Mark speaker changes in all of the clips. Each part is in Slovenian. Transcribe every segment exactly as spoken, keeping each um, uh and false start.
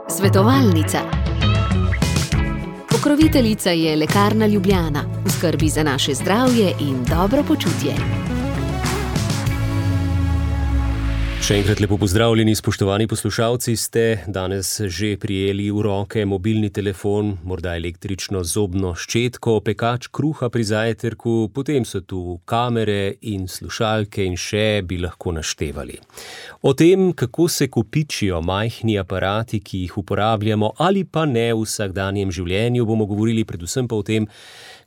Speaker 1: Svetovalnica. Pokroviteljica je Lekarna Ljubljana, v skrbi za naše zdravje in dobro počutje.
Speaker 2: Še enkrat lepo pozdravljeni, spoštovani poslušalci, ste danes že prijeli v roke mobilni telefon, morda električno zobno ščetko, pekač kruha pri zajtrku, potem so tu kamere in slušalke in še bi lahko naštevali. O tem, kako se kopičijo majhni aparati, ki jih uporabljamo ali pa ne v vsakdanjem življenju, bomo govorili predvsem pa o tem,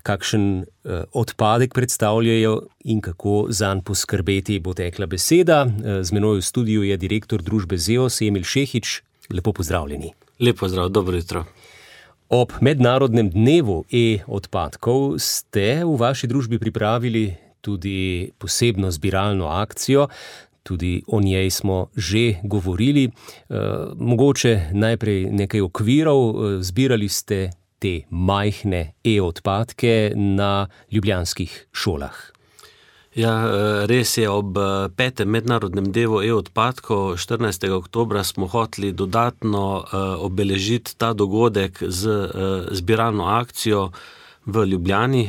Speaker 2: kakšen eh, odpadek predstavljajo in kako zanj poskrbeti, bo tekla beseda. Z menoj v studiu je direktor družbe Zeos, Emil Šehič. Lepo pozdravljeni.
Speaker 3: Lep pozdrav, dobro jutro.
Speaker 2: Ob mednarodnem dnevu e-odpadkov ste v vaši družbi pripravili tudi posebno zbiralno akcijo, tudi o njej smo že govorili. Eh, mogoče najprej nekaj okvirov, zbirali ste te majhne e-odpadke na ljubljanskih šolah.
Speaker 3: Ja, res je, ob petem mednarodnem dnevu e-odpadkov štirinajstega oktobra smo hoteli dodatno obeležiti ta dogodek z zbiralno akcijo v Ljubljani.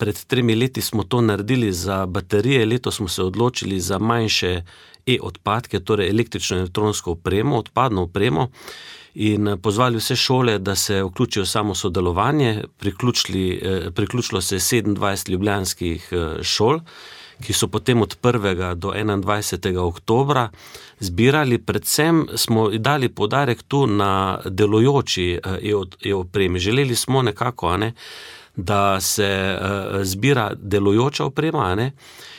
Speaker 3: Pred tremi leti smo to naredili za baterije, letos smo se odločili za manjše e-odpadke, torej električno in elektronsko opremo, odpadno opremo, in pozvali vse šole, da se vključijo samo sodelovanje. Priključilo se je sedemindvajset ljubljanskih šol, ki so potem od prvega do enaindvajsetega oktobra zbirali. Predvsem smo dali poudarek tu na delujoči e-opremi. Želeli smo nekako, a ne, da se zbira delujoča oprema, a ne,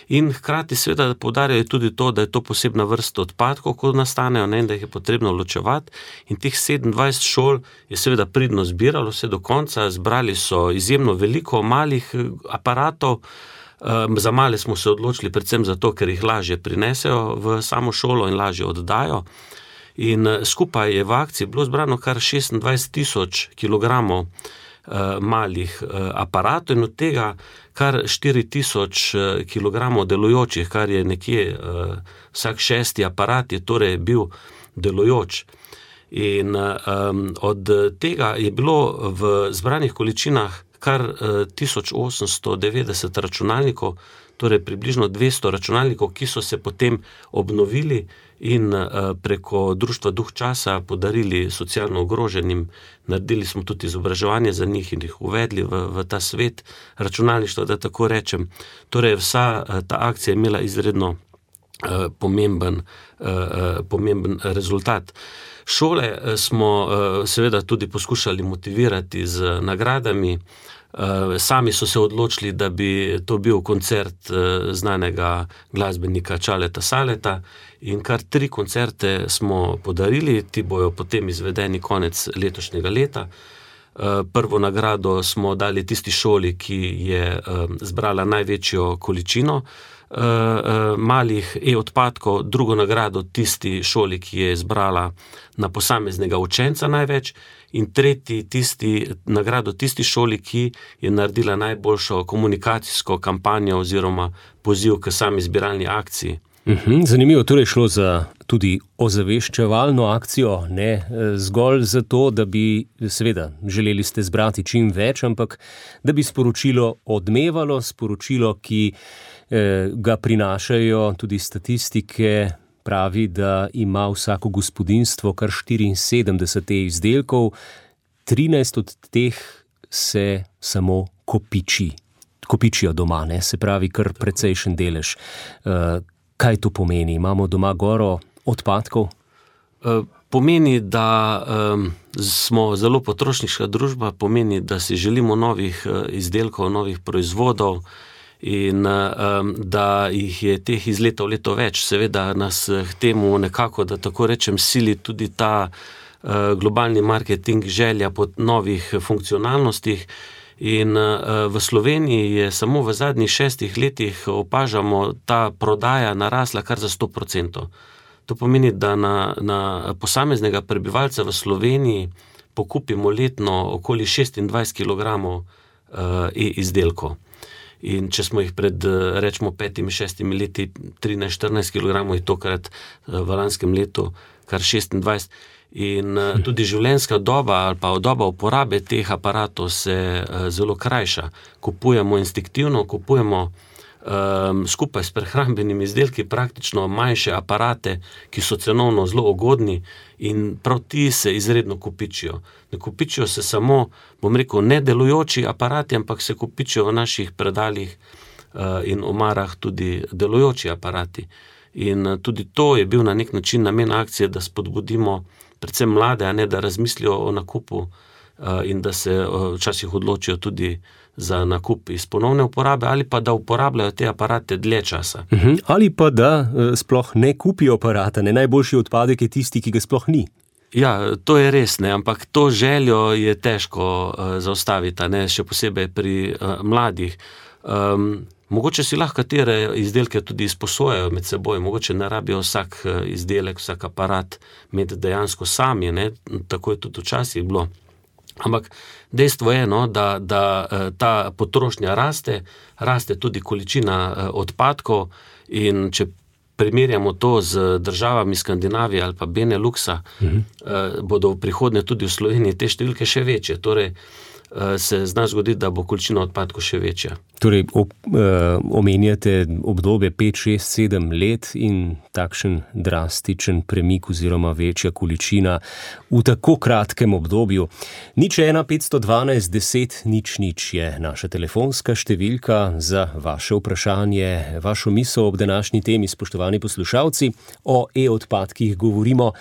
Speaker 3: in hkrati seveda poudarjajo tudi to, da je to posebna vrsta odpadkov, ko nastanejo, ne, in da jih je potrebno ločevati. In teh sedemindvajset šol je seveda pridno zbiralo vse do konca, zbrali so izjemno veliko malih aparatov. Za male smo se odločili predvsem zato, ker jih lažje prinesejo v samo šolo in lažje oddajo. In skupaj je v akciji bilo zbrano kar šestindvajset tisoč kilogramov malih aparatov in od tega kar štiri tisoč kilogramov delujočih, kar je nekje vsak šesti aparat je torej bil delujoč. In um, od tega je bilo v zbranih količinah kar tisoč osemsto devetdeset računalnikov, torej približno dvesto računalnikov, ki so se potem obnovili in preko društva Duh časa podarili socialno ogroženim. Naredili smo tudi izobraževanje za njih in jih uvedli v, v ta svet računalništva, da tako rečem. Torej vsa ta akcija je imela izredno uh, pomemben, uh, pomemben rezultat. Šole smo uh, seveda tudi poskušali motivirati z nagradami. Sami so se odločili, da bi to bil koncert znanega glasbenika Čaleta Saleta in kar tri koncerte smo podarili, ti bojo potem izvedeni konec letošnjega leta. Prvo nagrado smo dali tisti šoli, ki je zbrala največjo količino malih e-odpadkov, drugo nagrado tisti šoli, ki je zbrala na posameznega učenca največ, in tretji tisti, nagrado tisti šoli, ki je naredila najboljšo komunikacijsko kampanjo oziroma poziv k sami zbiralni akciji.
Speaker 2: Uhum, zanimivo, torej šlo za tudi ozaveščevalno akcijo, ne zgolj zato, da bi, seveda, želeli ste zbrati čim več, ampak da bi sporočilo odmevalo, sporočilo, ki eh, ga prinašajo tudi statistike, pravi, da ima vsako gospodinjstvo kar štiriinsedemdeset izdelkov, trinajst od teh se samo kopiči. Kopičijo doma, ne, se pravi kar precejšen delež. Uh, kaj to pomeni? Imamo doma goro odpadkov?
Speaker 3: Uh, pomeni, da um, smo zelo potrošniška družba, pomeni, da si želimo novih uh, izdelkov, novih proizvodov, in um, da jih je teh iz leta v leto več. Seveda nas k temu nekako, da tako rečem, sili tudi ta uh, globalni marketing, želja po novih funkcionalnostih. In uh, v Sloveniji je samo v zadnjih šestih letih opažamo ta prodaja narasla kar za sto procentov. To pomeni, da na, na posameznega prebivalca v Sloveniji pokupimo letno okoli šestindvajset kilogramov uh, e-izdelkov. in če smo jih pred, rečemo, petimi, šestimi leti trinajst štirinajst kilogramov, je tokrat v lanskem letu kar šestindvajset. In tudi življenjska doba ali pa doba uporabe teh aparatov se zelo krajša. Kupujemo instinktivno, kupujemo um, skupaj s prehrambenimi izdelki praktično manjše aparate, ki so cenovno zelo ugodni in prav ti se izredno kopičijo. Ne kopičijo se samo, bom rekel, nedelujoči aparati, ampak se kopičijo v naših predalih uh, in omarah tudi delujoči aparati. In tudi to je bil na nek način namen akcije, da spodbudimo predvsem mlade, a ne da razmislijo o nakupu uh, in da se uh, včasih odločijo tudi za nakup iz ponovne uporabe ali pa da uporabljajo te aparate dlje časa.
Speaker 2: Uh-huh. Ali pa da uh, sploh ne kupijo aparata, ne, najboljši odpadek je tisti, ki ga sploh ni.
Speaker 3: Ja, to je res, ne, ampak to željo je težko uh, zaustaviti, ne, še posebej pri uh, mladih. Um, Mogoče si lahko katere izdelke tudi izposojajo med seboj, mogoče ne rabijo vsak izdelek, vsak aparat imeti dejansko sami, ne? Tako je tudi včasih bilo. Ampak dejstvo je, no, da, da ta potrošnja raste, raste tudi količina odpadkov in če primerjamo to z državami Skandinavije ali pa Beneluxa, mhm. bodo v prihodnje tudi v Sloveniji te številke še večje, torej se zna zgoditi, da bo količina odpadkov še večja.
Speaker 2: Torej, ob, eh, omenjate obdobje pet, šest, sedem let in takšen drastičen premik oziroma večja količina v tako kratkem obdobju. Nič ena, petsto dvanajst, deset, nič, nič je naša telefonska številka za vaše vprašanje, vašo misel ob današnji temi, spoštovani poslušalci. O e-odpadkih govorimo.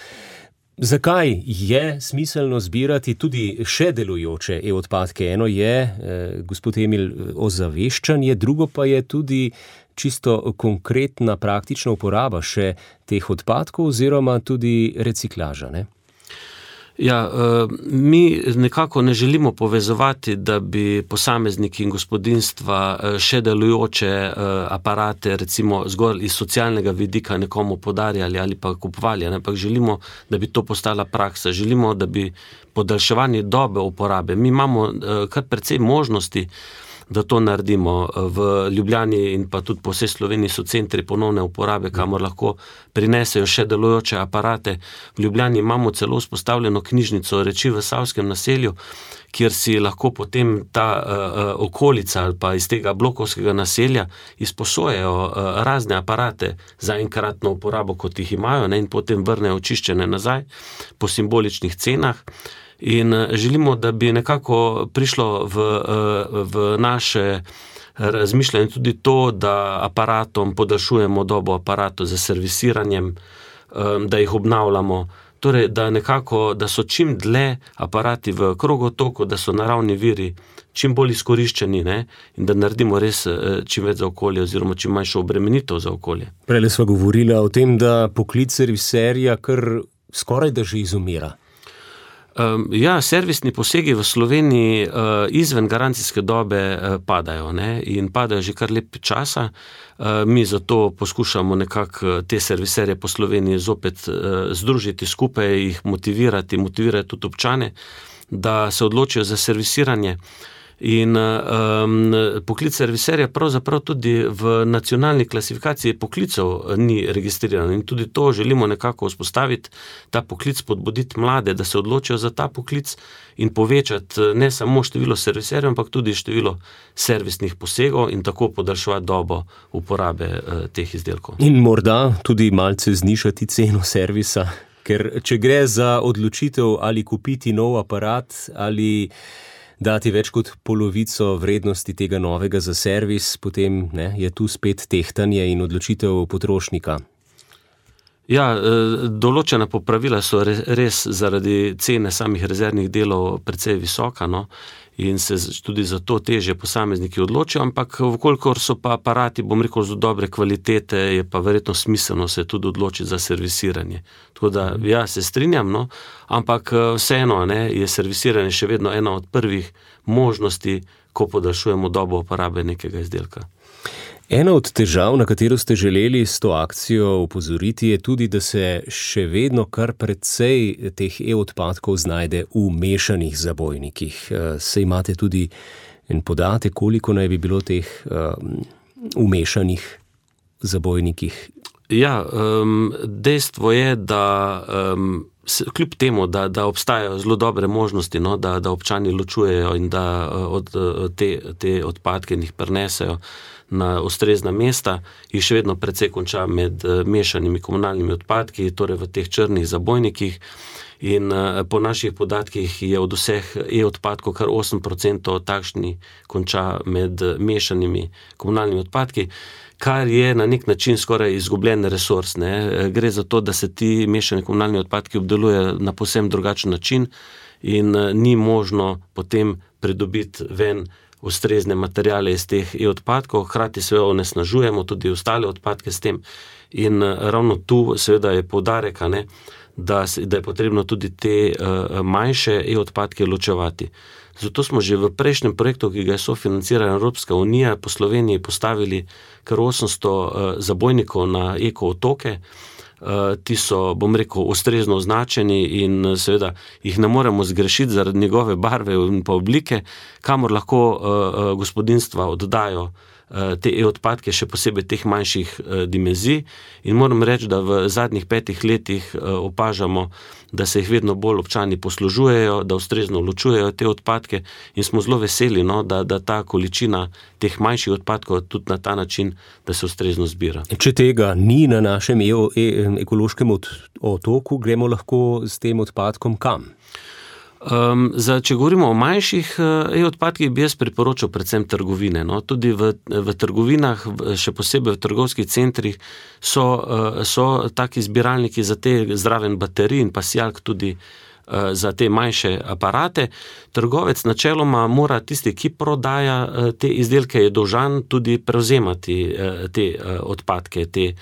Speaker 2: Zakaj je smiselno zbirati tudi še delujoče e-odpadke? Eno je, eh, gospod Emil, ozaveščanje, drugo pa je tudi čisto konkretna praktična uporaba še teh odpadkov oziroma tudi reciklaža, ne?
Speaker 3: Ja, mi nekako ne želimo povezovati, da bi posamezniki in gospodinjstva še delujoče aparate, recimo zgolj iz socialnega vidika nekomu podarjali ali pa kupovali, ampak želimo, da bi to postala praksa. Želimo, da bi podaljševanje dobe uporabe. Mi imamo kar precej možnosti, da to naredimo. V Ljubljani in pa tudi po vsej Sloveniji so centri ponovne uporabe, kamor lahko prinesejo še delujoče aparate. V Ljubljani imamo celo vzpostavljeno knjižnico reči v Savskem naselju, kjer si lahko potem ta uh, okolica ali pa iz tega blokovskega naselja izposojajo uh, razne aparate za enkratno uporabo, kot jih imajo, ne, in potem vrnejo očiščene nazaj po simboličnih cenah. In želimo, da bi nekako prišlo v, v naše razmišljanje tudi to, da aparatom podaljšujemo dobo aparatov za servisiranjem, da jih obnavljamo, torej da nekako, da so čim dlje aparati v krogotoku, da so naravni viri čim bolj izkoriščeni, ne, in da naredimo res čim več za okolje oziroma čim manjšo obremenitev za okolje.
Speaker 2: Prejle sva govorila o tem, da poklic serviserja kar skoraj da že izumira.
Speaker 3: Um, ja, servisni posegi v Sloveniji uh, izven garancijske dobe uh, padajo, ne, in padajo že kar lep časa. Uh, mi zato poskušamo nekako te serviserje po Sloveniji zopet uh, združiti skupaj, jih motivirati, motivirati tudi občane, da se odločijo za servisiranje. In um, poklic serviserja pravzaprav tudi v nacionalni klasifikaciji poklicov ni registriran in tudi to želimo nekako vzpostaviti, ta poklic, spodbuditi mlade, da se odločijo za ta poklic in povečati ne samo število serviserjev, ampak tudi število servisnih posegov in tako podaljševati dobo uporabe uh, teh izdelkov.
Speaker 2: In morda tudi malce znižati ceno servisa, ker če gre za odločitev ali kupiti nov aparat ali dati več kot polovico vrednosti tega novega za servis, potem ne, je tu spet tehtanje in odločitev potrošnika.
Speaker 3: Ja, določena popravila so res zaradi cene samih rezervnih delov precej visoka, no, in se tudi zato težje posamezniki odločijo, ampak vkolikor so pa aparati, bom rekel, z dobre kvalitete, je pa verjetno smiselno se tudi odločiti za servisiranje. Tako da, ja, se strinjam, no, ampak vseeno, ne, je servisiranje še vedno ena od prvih možnosti, ko podaljšujemo dobo uporabe nekega izdelka.
Speaker 2: Ena od težav, na katero ste želeli s to akcijo upozoriti, je tudi, da se še vedno kar precej teh e-odpadkov znajde v mešanih zabojnikih. Se imate tudi En podatek, koliko naj bi bilo teh um, umešanih zabojnikih?
Speaker 3: Ja, um, dejstvo je, da um, se, kljub temu, da, da obstajajo zelo dobre možnosti, no, da, da občani ločujejo in da od, te, te odpadke jih prenesejo na ustrezna mesta, jih še vedno precej konča med mešanimi komunalnimi odpadki, torej v teh črnih zabojnikih. In po naših podatkih je od vseh e-odpadkov kar osem procentov takšni konča med mešanimi komunalnimi odpadki, kar je na nek način skoraj izgubljen resurs. Ne? Gre za to, da se ti mešani komunalni odpadki obdelujejo na povsem drugačen način in ni možno potem pridobiti ven ustrezne materiale iz teh e-odpadkov, hkrati se onesnažujemo tudi ostale odpadke s tem. In ravno tu seveda je poudarek, ne, da, da je potrebno tudi te uh, manjše e-odpadke ločevati. Zato smo že v prejšnjem projektu, ki ga je sofinancirala Evropska unija, po Sloveniji postavili kar osemsto uh, zabojnikov na eko-otoke. Uh, ti so, bom rekel, ustrezno označeni in seveda jih ne moremo zgrešiti zaradi njegove barve in pa oblike, kamor lahko uh, uh, gospodinjstva oddajo te e-odpadke, še posebej teh manjših uh, dimenzij. In moram reči, da v zadnjih petih letih uh, opažamo, da se jih vedno bolj občani poslužujejo, da ustrezno ločujejo te odpadke in smo zelo veseli, no, da, da ta količina teh manjših odpadkov tudi na ta način, da se ustrezno zbira.
Speaker 2: Če tega ni na našem e- e- ekološkem otoku, gremo lahko s tem odpadkom kam?
Speaker 3: Um, za, če govorimo o manjših e-odpadkih, bi jaz priporočal predvsem trgovine. No? Tudi v, v trgovinah, še posebej v trgovskih centrih, so, so taki zbiralniki za te zraven baterij in pa sijalk tudi uh, za te manjše aparate. Trgovec načeloma mora tisti, ki prodaja uh, te izdelke, je dolžan tudi prevzemati uh, te uh, odpadke, te,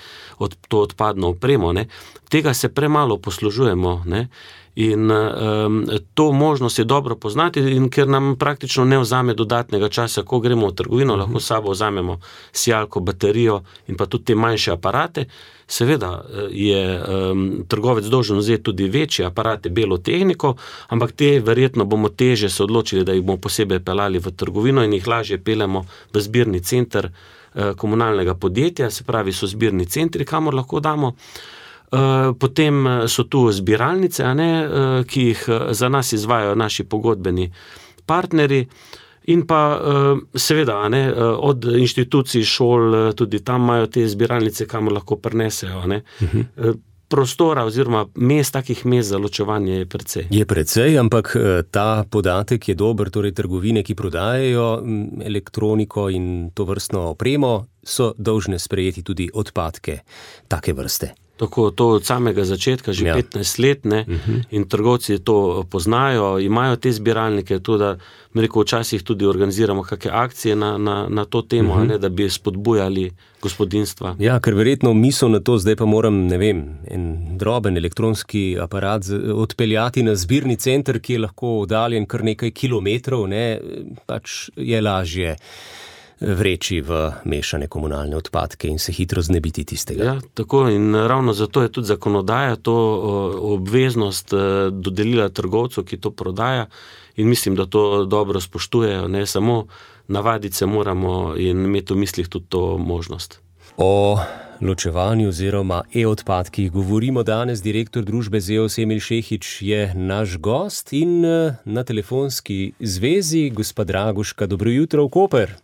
Speaker 3: od, to odpadno opremo. Ne? Tega se premalo poslužujemo, ne? In um, to možnost je dobro poznati, in ker nam praktično ne vzame dodatnega časa, ko gremo v trgovino, lahko s sabo vzamemo sijalko, baterijo in pa tudi te manjše aparate. Seveda je um, trgovec dolžen vzeti tudi večje aparate, belo tehniko, ampak te verjetno bomo teže se odločili, da jih bomo posebej pelali v trgovino in jih lažje pelemo v zbirni center uh, komunalnega podjetja, se pravi so zbirni centri, kamor lahko damo. Potem so tu zbiralnice, a ne, ki jih za nas izvajajo naši pogodbeni partnerji in pa seveda, a ne, od inštitucij, šol, tudi tam imajo te zbiralnice, kamor lahko prinesejo. A ne. Uh-huh. Prostora oziroma mest, takih mest za ločevanje je precej.
Speaker 2: Je precej, ampak ta podatek je dober, torej trgovine, ki prodajajo elektroniko in to vrstno opremo, so dolžne sprejeti tudi odpadke take vrste.
Speaker 3: Tako, to od samega začetka, že ja. petnajst let, ne, uh-huh. in trgovci to poznajo, imajo te zbiralnike, to, da mi rekel, včasih tudi organiziramo kakšne akcije na, na, na to temo, uh-huh. ne, da bi spodbujali gospodinjstva.
Speaker 2: Ja, ker verjetno misel na to, zdaj pa moram, ne vem, en droben elektronski aparat odpeljati na zbirni center, ki je lahko oddaljen kar nekaj kilometrov, ne, pač je lažje vreči v mešane komunalne odpadke in se hitro znebiti tistega.
Speaker 3: Ja, tako in ravno zato je tudi zakonodaja to obveznost dodelila trgovcu, ki to prodaja, in mislim, da to dobro spoštujejo, ne samo navaditi se moramo in imeti v mislih tudi to možnost.
Speaker 2: O ločevanju oziroma e-odpadkih govorimo danes. Direktor družbe Zeos Emil Šehić je naš gost in na telefonski zvezi gospa Draguška. Dobro jutro v Koper.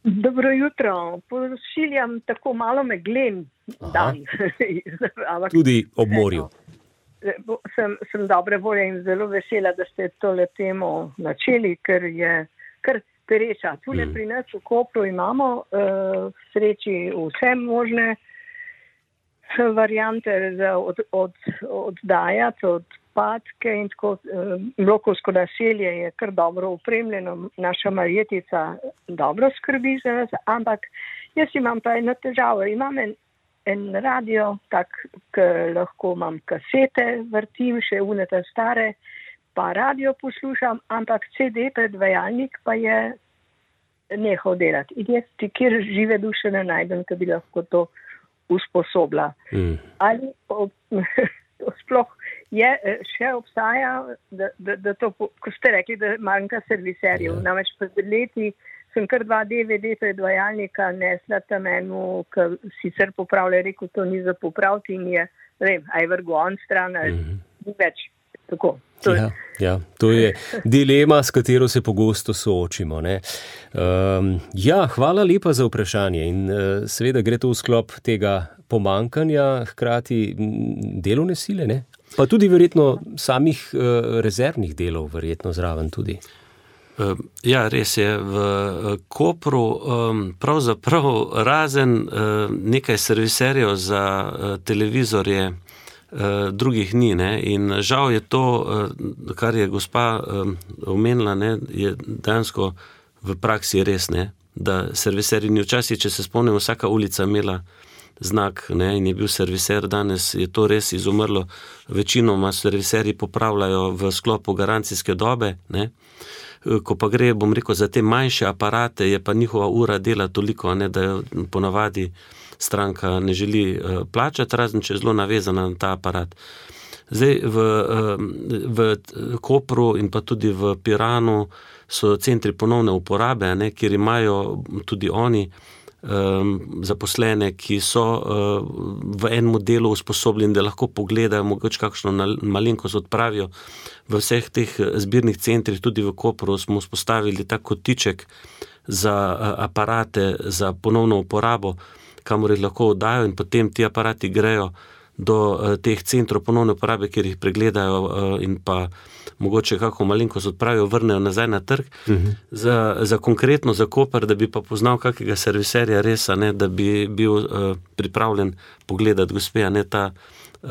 Speaker 4: Dobro jutro, pošiljam tako malo meglen dan.
Speaker 2: Tudi ob morju.
Speaker 4: Sem, sem dobre volje in zelo vesela, da ste tole temo načeli, ker je kar pereča. Tule mm. pri nas v Kopru imamo uh, sreči vse možne variante za od, od, oddajati, odpadke in tako. Uh, Blokovsko naselje je kar dobro opremljeno, naša Marjetica dobro skrbi za nas, ampak jaz imam pa eno težavo. Imam en, en radio, tak, ki lahko imam kasete, vrtim še unete stare, pa radio poslušam, ampak C D predvajalnik pa je nehal delati. In jaz ti kjer žive duše ne najdem, ki bi lahko to usposobila. Mm. Ali to sploh je, še obstaja, da, da, da to, ko ste rekli, da manjka serviserjev. Mm. Namreč pred leti sem kar dva D V D predvajalnika nesla tam enu, ki sicer popravlja, rekel, to ni za popraviti in je, ne vem, aj vrgo on stran, ali mm-hmm. ni več. Tako. To
Speaker 2: ja, ja, to je dilema, s katero se pogosto soočimo. Ne? Um, ja, hvala lepa za vprašanje in uh, seveda gre to v sklop tega pomankanja, hkrati delovne sile, ne? Pa tudi verjetno samih uh, rezervnih delov, verjetno zraven tudi.
Speaker 3: Ja, res je. V Kopru pravzaprav razen nekaj serviserjev za televizorje drugih ni. Ne? In žal je to, kar je gospa omenila, ne, je dejansko v praksi res, ne? Da serviserji ni včasih, če se spomnim, vsaka ulica imela znak, ne, in je bil serviser, danes je to res izumrlo. Večinoma serviserji popravljajo v sklopu garancijske dobe, ne. Ko pa gre, bom rekel, za te manjše aparate, je pa njihova ura dela toliko, ne, da jo ponavadi stranka ne želi uh, plačati, razen če je zelo navezana na ta aparat. Zdaj, v, uh, v Kopru in pa tudi v Piranu so centri ponovne uporabe, ne, kjer imajo tudi oni zaposlene, ki so v enem delu usposobljeni, da lahko pogledajo, mogoče kakšno malenkost odpravijo. V vseh teh zbirnih centrih, tudi v Kopru, smo vzpostavili tak kotiček za aparate, za ponovno uporabo, kamor jih lahko oddajo in potem ti aparati grejo do teh centrov ponovne uporabe, kjer jih pregledajo in pa mogoče kako malenkost odpravijo, vrnejo nazaj na trg. Uh-huh. Za, za konkretno za Koper, da bi pa poznal kakega serviserja resa, ne, da bi bil uh, pripravljen pogledati gospe, a ne ta uh,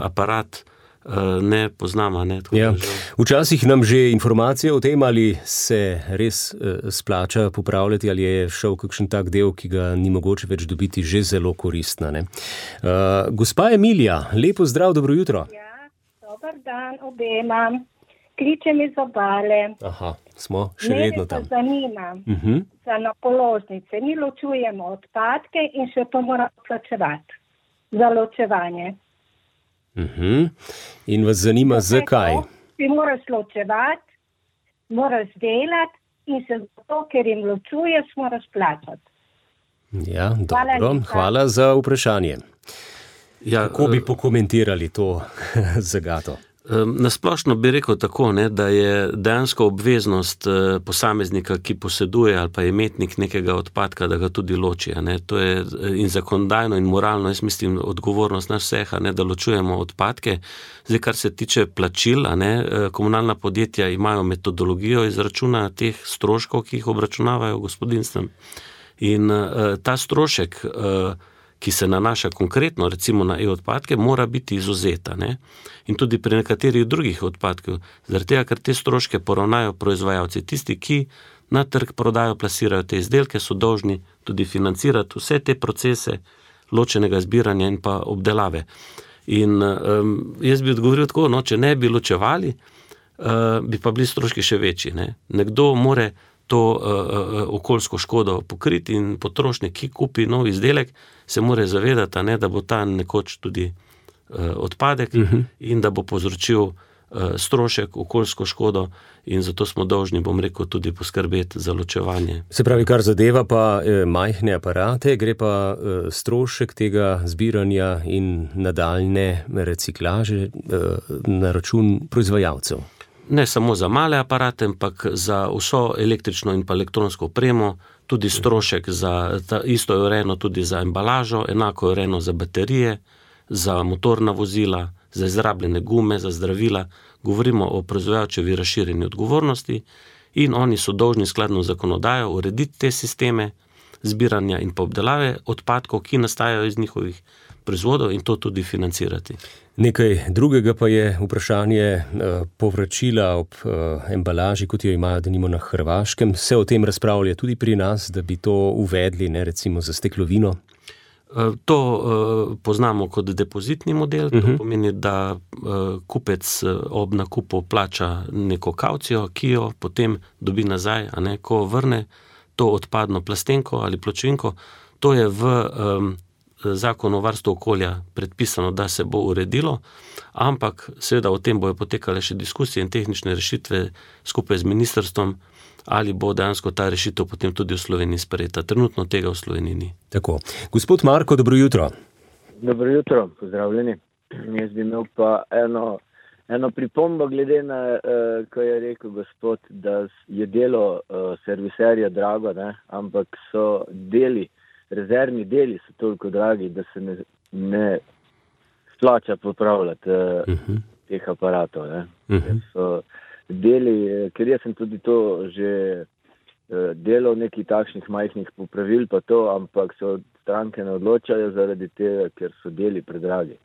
Speaker 3: aparat uh, ne poznama. Ne,
Speaker 2: ja. Včasih nam že informacije o tem, ali se res uh, splača popravljati, ali je šel kakšen tak del, ki ga ni mogoče več dobiti, že zelo koristna. Ne. Uh, gospa Emilija, lepo zdrav, dobro jutro.
Speaker 5: Ja, dober dan obema. Kličem iz Obale.
Speaker 2: Aha, smo še Mene vedno tam.
Speaker 5: Mene pa zanima
Speaker 2: uh-huh.
Speaker 5: za na položnice. Mi ločujemo odpadke in še to moramo plačevati za ločevanje.
Speaker 2: Uh-huh. In vas zanima, Zato zakaj?
Speaker 5: Ti moraš ločevati, moraš delati in se zato, ker jim ločuješ, moraš plačati.
Speaker 2: Ja, hvala dobro. Lika. Hvala za vprašanje. Ja, Kako bi pokomentirali to zagato?
Speaker 3: Nasplošno bi rekel tako, ne, da je dejansko obveznost posameznika, ki poseduje ali pa je imetnik nekega odpadka, da ga tudi loči. Ne. To je in zakonodajno in moralno, jaz mislim, odgovornost nas vseh, ne, da ločujemo odpadke. Zdaj, kar se tiče plačil, ne, komunalna podjetja imajo metodologijo izračuna teh stroškov, ki jih obračunavajo gospodinstvom. In ta strošek, ki se nanaša konkretno recimo na e-odpadke, mora biti izuzeta. Ne? In tudi pri nekaterih drugih odpadkov, zaradi tega, ker te stroške poravnajo proizvajalci. Tisti, ki na trg prodajo, plasirajo te izdelke, so dolžni tudi financirati vse te procese ločenega zbiranja in pa obdelave. In um, jaz bi odgovoril tako, no, če ne bi ločevali, uh, bi pa bili stroški še večji. Ne? Nekdo more to uh, okoljsko škodo pokriti in potrošnik, ki kupi nov izdelek, se mora zavedati, ne, da bo ta nekoč tudi uh, odpadek uh-huh. in da bo povzročil uh, strošek, okoljsko škodo in zato smo dolžni, bom rekel, tudi poskrbeti za ločevanje.
Speaker 2: Se pravi, kar zadeva pa eh, majhne aparate, gre pa eh, strošek tega zbiranja in nadaljne reciklaže eh, na račun proizvajalcev.
Speaker 3: Ne samo za male aparate, ampak za vso električno in pa elektronsko opremo, tudi strošek za, ta, isto je urejeno tudi za embalažo, enako je urejeno za baterije, za motorna vozila, za izrabljene gume, za zdravila. Govorimo o proizvajalčevi razširjeni odgovornosti in oni so dolžni skladno zakonodajo urediti te sisteme zbiranja in pa obdelave odpadkov, ki nastajajo iz njihovih proizvodov in to tudi financirati.
Speaker 2: Nekaj drugega pa je vprašanje povračila ob embalaži, kot jo imajo denimo na Hrvaškem. Se o tem razpravlja tudi pri nas, da bi to uvedli, ne, recimo za steklovino?
Speaker 3: To poznamo kot depozitni model, to uh-huh. pomeni, da kupec ob nakupu plača neko kavcijo, ki jo potem dobi nazaj, a ne, ko vrne to odpadno plastenko ali pločevinko. To je v um, zakon o varstvu okolja predpisano, da se bo uredilo, ampak seveda o tem bojo potekale še diskusije in tehnične rešitve skupaj z ministrstvom, ali bo dejansko ta rešitev potem tudi v Sloveniji sprejeta. Trenutno tega v Sloveniji ni.
Speaker 2: Tako. Gospod Marko, dobro jutro.
Speaker 6: Dobro jutro, pozdravljeni. Jaz bi imel pa eno, eno pripombo glede na, uh, ko je rekel gospod, da je delo uh, serviserja drago, ne? Ampak so deli, rezervni deli so toliko dragi, da se ne, ne splača popravljati uh, uh-huh. teh aparatov. Ne? Uh-huh. So deli, ker jaz sem tudi to že uh, delal nekih takšnih majhnih popravil pa to, ampak so stranke ne odločajo zaradi tega, ker so deli predragi.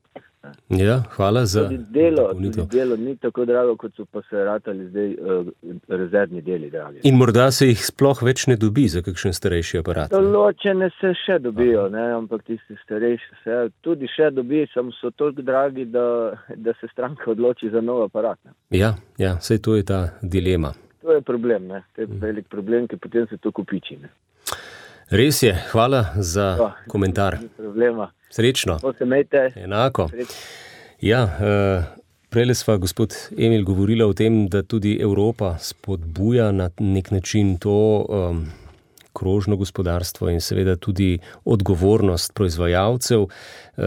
Speaker 2: Ja, hvala za
Speaker 6: tudi delo, tudi delo ni tako drago, kot so pa se ratali zdaj uh, rezervni deli dragi.
Speaker 2: In morda se jih sploh več ne dobi za kakšen starejši aparat.
Speaker 6: Določene se še dobijo, ne? Ampak tisti starejši se tudi še dobi, samo so toliko dragi, da, da se stranka odloči za nov aparat. Ne?
Speaker 2: Ja, ja, saj to je ta dilema.
Speaker 6: To je problem, ne? To je velik problem, ki potem se to kupiči. Ne?
Speaker 2: Res je, hvala za
Speaker 6: to,
Speaker 2: komentar.
Speaker 6: Ni problema.
Speaker 2: Srečno.
Speaker 6: To se mejte.
Speaker 2: Enako.
Speaker 6: Srečno.
Speaker 2: Ja, uh, prejle sva gospod Emil govorila o tem, da tudi Evropa spodbuja na nek način to um, krožno gospodarstvo in seveda tudi odgovornost proizvajalcev, uh,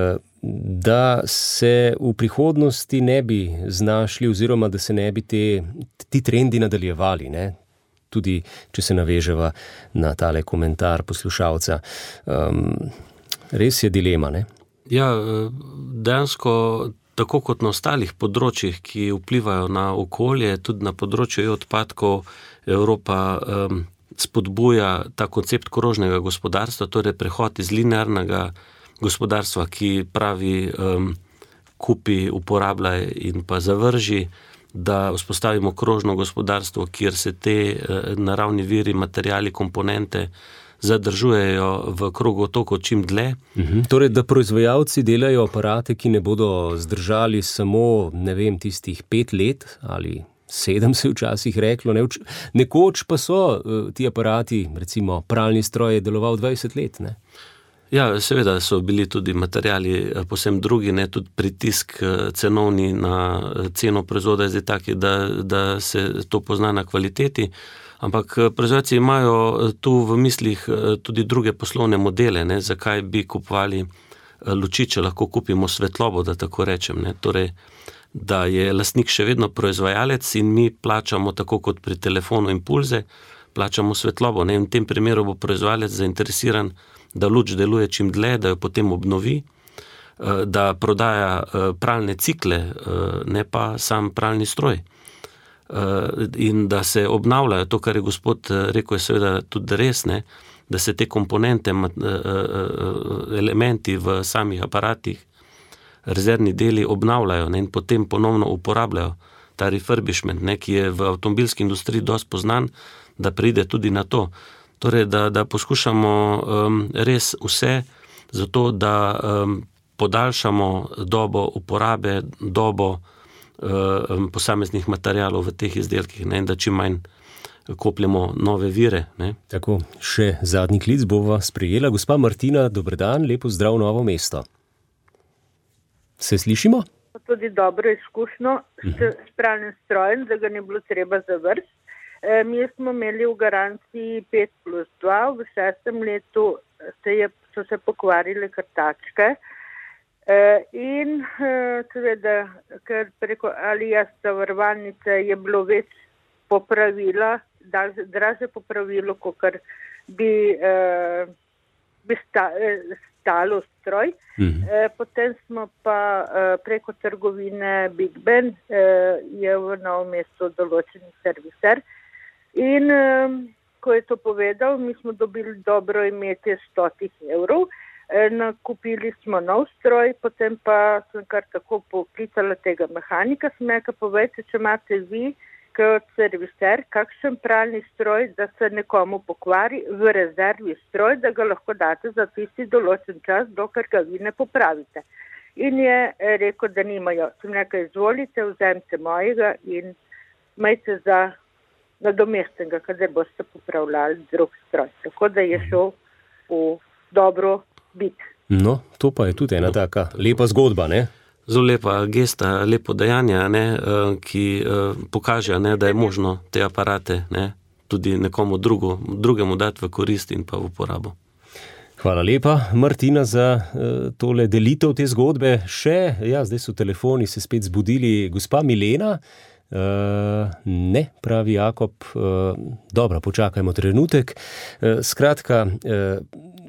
Speaker 2: da se v prihodnosti ne bi znašli oziroma da se ne bi te, ti trendi nadaljevali, ne? Tudi če se naveževa na tale komentar poslušalca. Um, res je dilema, ne?
Speaker 3: Ja, dejansko tako kot na ostalih področjih, ki vplivajo na okolje, tudi na področju e-odpadkov, Evropa um, spodbuja ta koncept krožnega gospodarstva, torej prehod iz linearnega gospodarstva, ki pravi um, kupi, uporabljaj in pa zavrži, da vzpostavimo krožno gospodarstvo, kjer se te uh, naravni viri, materiali, komponente zadržujejo v krogu tokov čim dlje.
Speaker 2: Mhm. Torej, da proizvajalci delajo aparate, ki ne bodo zdržali samo, ne vem, tistih pet let ali sedem se včasih reklo. Ne, vč- nekoč pa so uh, ti aparati, recimo pralni stroj je deloval dvajset let, ne?
Speaker 3: Ja, seveda so bili tudi materiali posebno drugi, ne, tudi pritisk cenovni na ceno proizvoda je zdaj taki, da, da se to pozna na kvaliteti, ampak proizvajalci imajo tu v mislih tudi druge poslovne modele, ne, zakaj bi kupovali luči, če lahko kupimo svetlobo, da tako rečem, ne, torej, da je lastnik še vedno proizvajalec in mi plačamo tako kot pri telefonu impulze, plačamo svetlobo, ne, in v tem primeru bo proizvajalec zainteresiran, da luč deluje čim dlje, da jo potem obnovi, da prodaja pralne cikle, ne pa sam pralni stroj. In da se obnavljajo, to, kar je gospod rekel, je seveda tudi res, ne, da se te komponente, elementi v samih aparatih, rezervni deli obnavljajo, ne, in potem ponovno uporabljajo ta refurbishment, ne, ki je v avtomobilski industriji dosti poznan, da pride tudi na to. Torej, da, da poskušamo um, res vse zato, da um, podaljšamo dobo uporabe, dobo um, posameznih materialov v teh izdelkih, ne, in da čim manj kopljemo nove vire. Ne.
Speaker 2: Tako, še zadnji klic bova sprejela. Gospa Martina, dober dan, lepo zdrav Novo mesto. Se slišimo?
Speaker 4: Tudi dobro izkušnjo s, s pralnim strojem, da ga ni bilo treba zavrsti. E, mi smo imeli v garanciji pet plus dva, v šestem letu se je, so se pokvarile krtačke e, in e, seveda, ker preko Alijas zavarovalnice je bilo več popravila, draže popravilo, kot bi, e, bi sta, e, stalo stroj. Mhm. E, potem smo pa e, preko trgovine Big Ben, e, je v Novem mestu določeni serviser. In um, ko je to povedal, mi smo dobili dobro imetje stotih evrov, e, nakupili smo nov stroj, potem pa sem kar tako poklicala tega mehanika, sem nekaj povedala, če imate vi kot serviser kakšen pralni stroj, da se nekomu pokvari v rezervi stroj, da ga lahko date za tisti določen čas, dokler ga vi ne popravite. In je rekel, da nimajo. Sem nekaj izvolite, vzemite mojega in majte za nadomestnega, kadar boste popravljali drug stroj. Tako da je šel v dobro bit.
Speaker 2: No, to pa je tudi ena taka lepa zgodba, ne?
Speaker 3: Zelo lepa gesta, lepo dejanje, ne, ki pokaže, ne, da je možno te aparate, ne, tudi nekomu drugu, drugemu dati v korist in pa v uporabo.
Speaker 2: Hvala lepa, Martina, za uh, tole delitev te zgodbe. Še, ja, zdaj so telefoni se spet zbudili. Gospa Milena, uh, ne, pravi Jakob, uh, dobro, počakajmo trenutek. Uh, skratka, uh,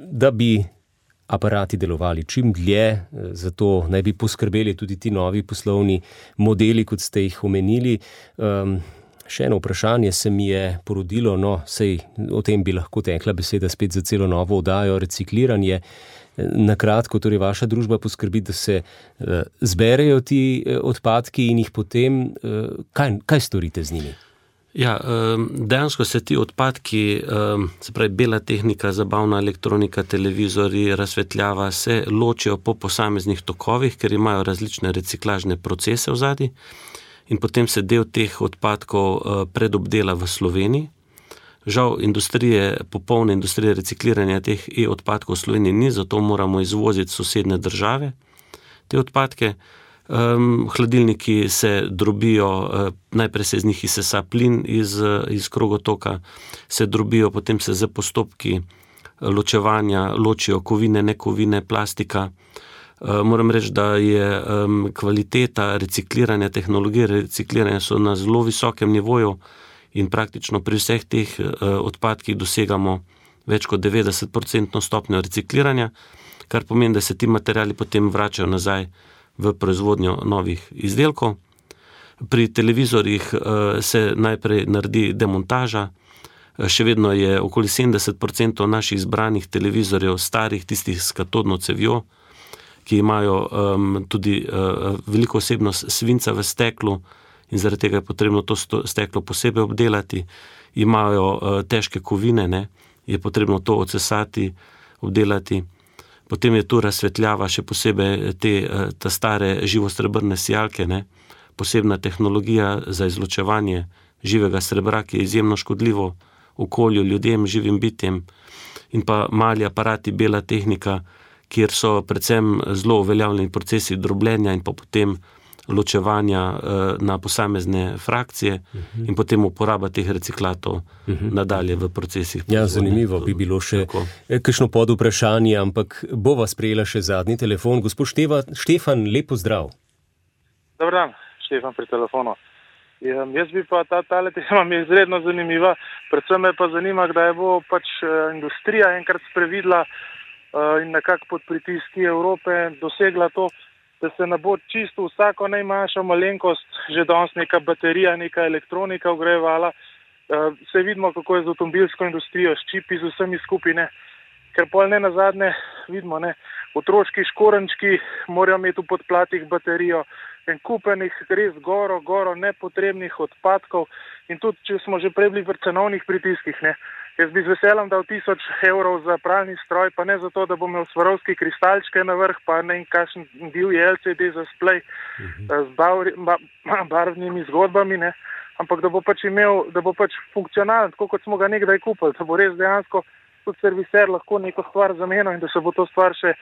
Speaker 2: da bi aparati delovali čim dlje, uh, zato naj bi poskrbeli tudi ti novi poslovni modeli, kot ste jih omenili. Um, Še eno vprašanje se mi je porodilo, no, sej o tem bi lahko tekla beseda spet za celo novo oddajo, recikliranje. Na kratko, torej vaša družba poskrbi, da se uh, zberejo ti uh, odpadki in jih potem, uh, kaj, kaj storite z njimi?
Speaker 3: Ja, dejansko se ti odpadki, se pravi bela tehnika, zabavna elektronika, televizori, razsvetljava, se ločijo po posameznih tokovih, ker imajo različne reciklažne procese v zadnji. In potem se del teh odpadkov predobdela v Sloveniji. Žal industrije, popolne industrije recikliranja teh e-odpadkov v Sloveniji ni, zato moramo izvoziti sosednje države te odpadke. Um, hladilniki se drobijo, uh, najprej se iz njih izsesa plin iz, iz krogotoka, se drobijo, potem se z postopki ločevanja ločijo kovine, nekovine, plastika. Uh, moram reči, da je um, kvaliteta recikliranja, tehnologije recikliranja so na zelo visokem nivoju in praktično pri vseh teh uh, odpadkih dosegamo več kot devetdeset procentno stopnjo recikliranja, kar pomeni, da se ti materiali potem vračajo nazaj v proizvodnjo novih izdelkov. Pri televizorjih uh, se najprej naredi demontaža, uh, še vedno je okoli sedemdeset procentov naših zbranih televizorjev starih, tistih s katodno cevjo, ki imajo um, tudi uh, veliko osebnost svinca v steklu in zaradi tega je potrebno to steklo posebej obdelati. Imajo uh, težke kovine, ne, je potrebno to odsesati, obdelati. Potem je tu razsvetljava, še posebej te, ta stare živosrebrne sijalke, ne, posebna tehnologija za izločevanje živega srebra, ki je izjemno škodljivo okolju, ljudem, živim bitjem, in pa mali aparati, bela tehnika, kjer so predvsem zelo uveljavljeni procesi drobljenja in pa potem ločevanja uh, na posamezne frakcije uh-huh. in potem uporaba teh reciklatov uh-huh. nadalje v procesih.
Speaker 2: Ja, zanimivo bi bilo še kakšno pod vprašanje, ampak bova sprejela še zadnji telefon. Gospod Števa, Štefan, lep pozdrav.
Speaker 7: Dobar dan, Štefan pri telefonu. Ja, jaz bi pa ta tale tema mi je izredno zanimiva, predvsem me pa zanima, kdaj bo pač uh, industrija enkrat sprevidla uh, in nekako pod pritiski Evrope dosegla to, da se ne bo čisto vsako najmanjša malenkost, že danes neka baterija, neka elektronika ogrevala. Uh, se vidimo, kako je z avtomobilsko industrijo, s čipi, z vsemi skupine, ker pol ne nazadnje vidimo, ne, otroški škorenčki morajo imeti v podplatih baterijo, en kupenih res goro, goro nepotrebnih odpadkov in tudi, če smo že prej bili v cenovnih pritiskih, ne, jaz bi z veseljem dal tisoč evrov za pralni stroj, pa ne zato, da bom imel Swarovski kristalčke na vrh, pa ne in kakšen divji L C D za splej uh-huh. z bar, ba, barvnimi zgodbami, ne, ampak da bo pač imel, da bo pač funkcionalen, tako kot smo ga nekdaj kupili, da bo res dejansko tudi serviser lahko neko stvar zamenil in da se bo to stvar še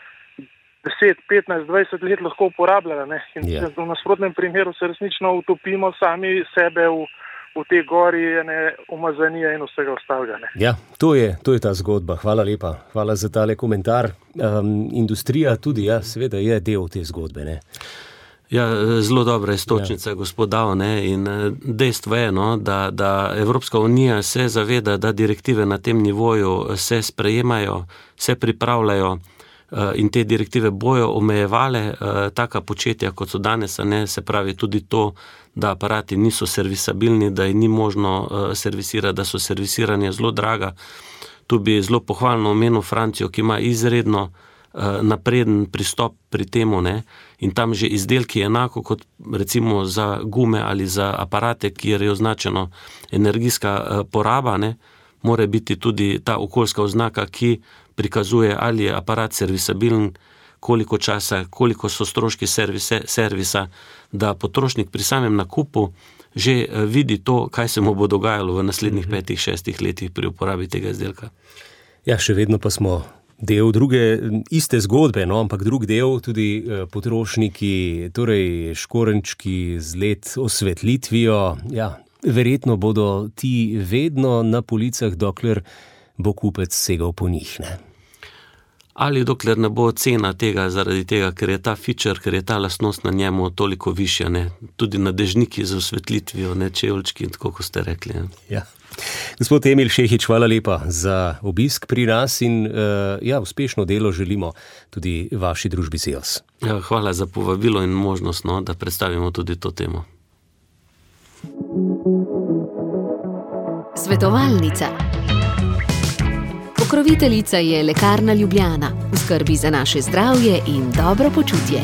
Speaker 7: deset, petnajst, dvajset let lahko uporabljala, ne, in yeah. v nasprotnem primeru se resnično utopimo sami sebe v v te gori, ne, umazanije in vsega ostalega. Ne.
Speaker 2: Ja, to je, to je ta zgodba. Hvala lepa. Hvala za tale komentar. Um, industrija tudi, ja, seveda je del te zgodbe, ne.
Speaker 3: Ja, zelo dobra istočnica, ja. Gospod Dao, ne, in dejstvo je, no, da, da Evropska unija se zaveda, da direktive na tem nivoju se sprejemajo, se pripravljajo in te direktive bojo omejevale taka početja, kot so danes, ne, se pravi tudi to, da aparati niso servisabilni, da jih ni možno servisirati, da so servisiranje zelo draga. Tu bi zelo pohvalno omenil Francijo, ki ima izredno napreden pristop pri temu, ne, in tam že izdelki enako kot recimo za gume ali za aparate, kjer je označeno energijska poraba, ne, mora biti tudi ta okoljska oznaka, ki prikazuje, ali je aparat servisabilen, koliko časa, koliko so stroški servise, servisa, da potrošnik pri samem nakupu že vidi to, kaj se mu bo dogajalo v naslednjih petih, šestih letih pri uporabi tega izdelka.
Speaker 2: Ja, še vedno pa smo Del druge, iste zgodbe, no, ampak drug del, tudi potrošniki, torej škorenčki z L E D osvetlitvijo, ja, verjetno bodo ti vedno na policah, dokler bo kupec segal po njih, ne?
Speaker 3: Ali dokler ne bo cena tega, zaradi tega, ker je ta feature, ker je ta lastnost na njemu toliko višja, ne? Tudi na dežniki z osvetlitvijo, ne, čevlčki, tako kot ste rekli. Ne?
Speaker 2: Ja. Gospod Emil Šehić, hvala lepa za obisk pri nas in uh, ja, uspešno delo želimo tudi vaši družbi Seos.
Speaker 3: Ja, hvala za povabilo in možnost, no, da predstavimo tudi to temo.
Speaker 1: Svetovalnica. Pokroviteljica je Lekarna Ljubljana, v skrbi za naše zdravje in dobro počutje.